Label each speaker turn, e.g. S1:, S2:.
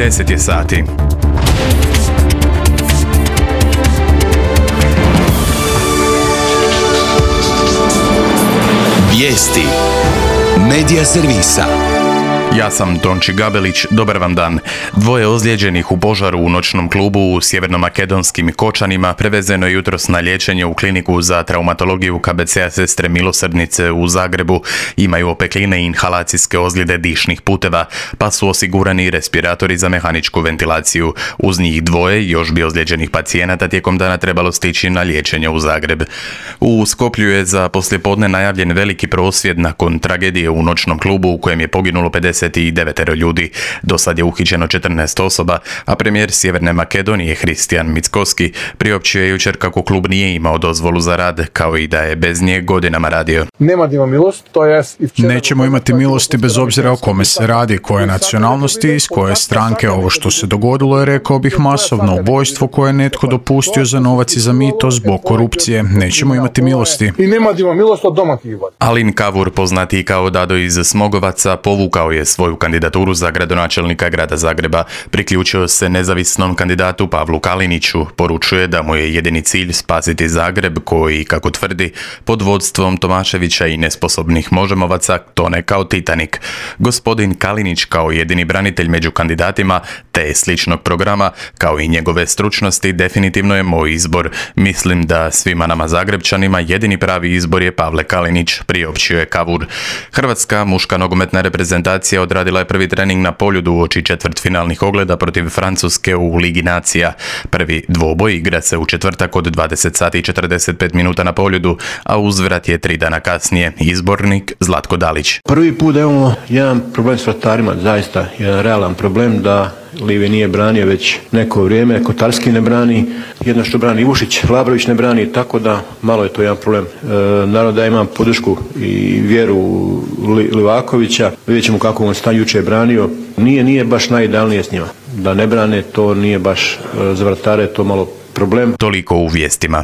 S1: 10 je sati.
S2: Vijesti Medija servisa.
S1: Ja sam Tonči Gabelić, dobar vam dan. 2 ozlijeđenih u požaru u noćnom klubu u sjevernomakedonskim Kočanima prevezeno je jutros na liječenje u kliniku za traumatologiju KBC-a Sestre Milosrdnice u Zagrebu. Imaju opekline i inhalacijske ozljede dišnih puteva, pa su osigurani respiratori za mehaničku ventilaciju. Uz njih 2 još bi ozlijeđenih pacijenata tijekom dana trebalo stići na liječenje u Zagreb. U Skoplju je za poslijepodne najavljen veliki prosvjed nakon tragedije u noćnom klubu u kojem je poginulo 59 ljudi. Do sad je uhićeno 14 osoba, a premijer Sjeverne Makedonije Hristijan Mickoski priopćio je jučer kako klub nije imao dozvolu za rad, kao i da je bez nje godinama radio.
S3: Nećemo imati milosti bez obzira o kome se radi, koje nacionalnosti, iz koje stranke. Ovo što se dogodilo je, rekao bih, masovno ubojstvo koje je netko dopustio za novac i za mito zbog korupcije. Nećemo imati milosti.
S1: Alin Kavur, poznatiji kao Dado iz Smogovaca, povukao je svoju kandidaturu za gradonačelnika grada Zagreba. Priključio se nezavisnom kandidatu Pavlu Kaliniću. Poručuje da mu je jedini cilj spasiti Zagreb koji, kako tvrdi, pod vodstvom Tomaševića i nesposobnih Možemovaca tone kao Titanik. Gospodin Kalinić kao jedini branitelj među kandidatima te sličnog programa, kao i njegove stručnosti, definitivno je moj izbor. Mislim da svima nama Zagrebčanima jedini pravi izbor je Pavle Kalinić, priopćio je Kavur. Hrvatska muška nogometna reprezentacija odradila je prvi trening na Poljudu uoči četvrtfinalnih ogleda protiv Francuske u Ligi nacija. Prvi dvoboj igra se u četvrtak od 20 sati i 45 minuta na Poljudu, a uzvrat je 3 dana kasnije. Izbornik Zlatko Dalić.
S4: Prvi put da imamo jedan problem s vratarima, zaista jedan realan problem da Livi nije branio već neko vrijeme, Kotarski ne brani, jedno što brani Ivušić, Labrović ne brani, tako da malo je to jedan problem. Naravno da imam podršku i vjeru Livakovića, vidjet ćemo kako on stan jučer branio, nije baš najidealnije s njima. Da ne brane, to nije baš za vratare, to malo problem.
S1: Toliko u vijestima.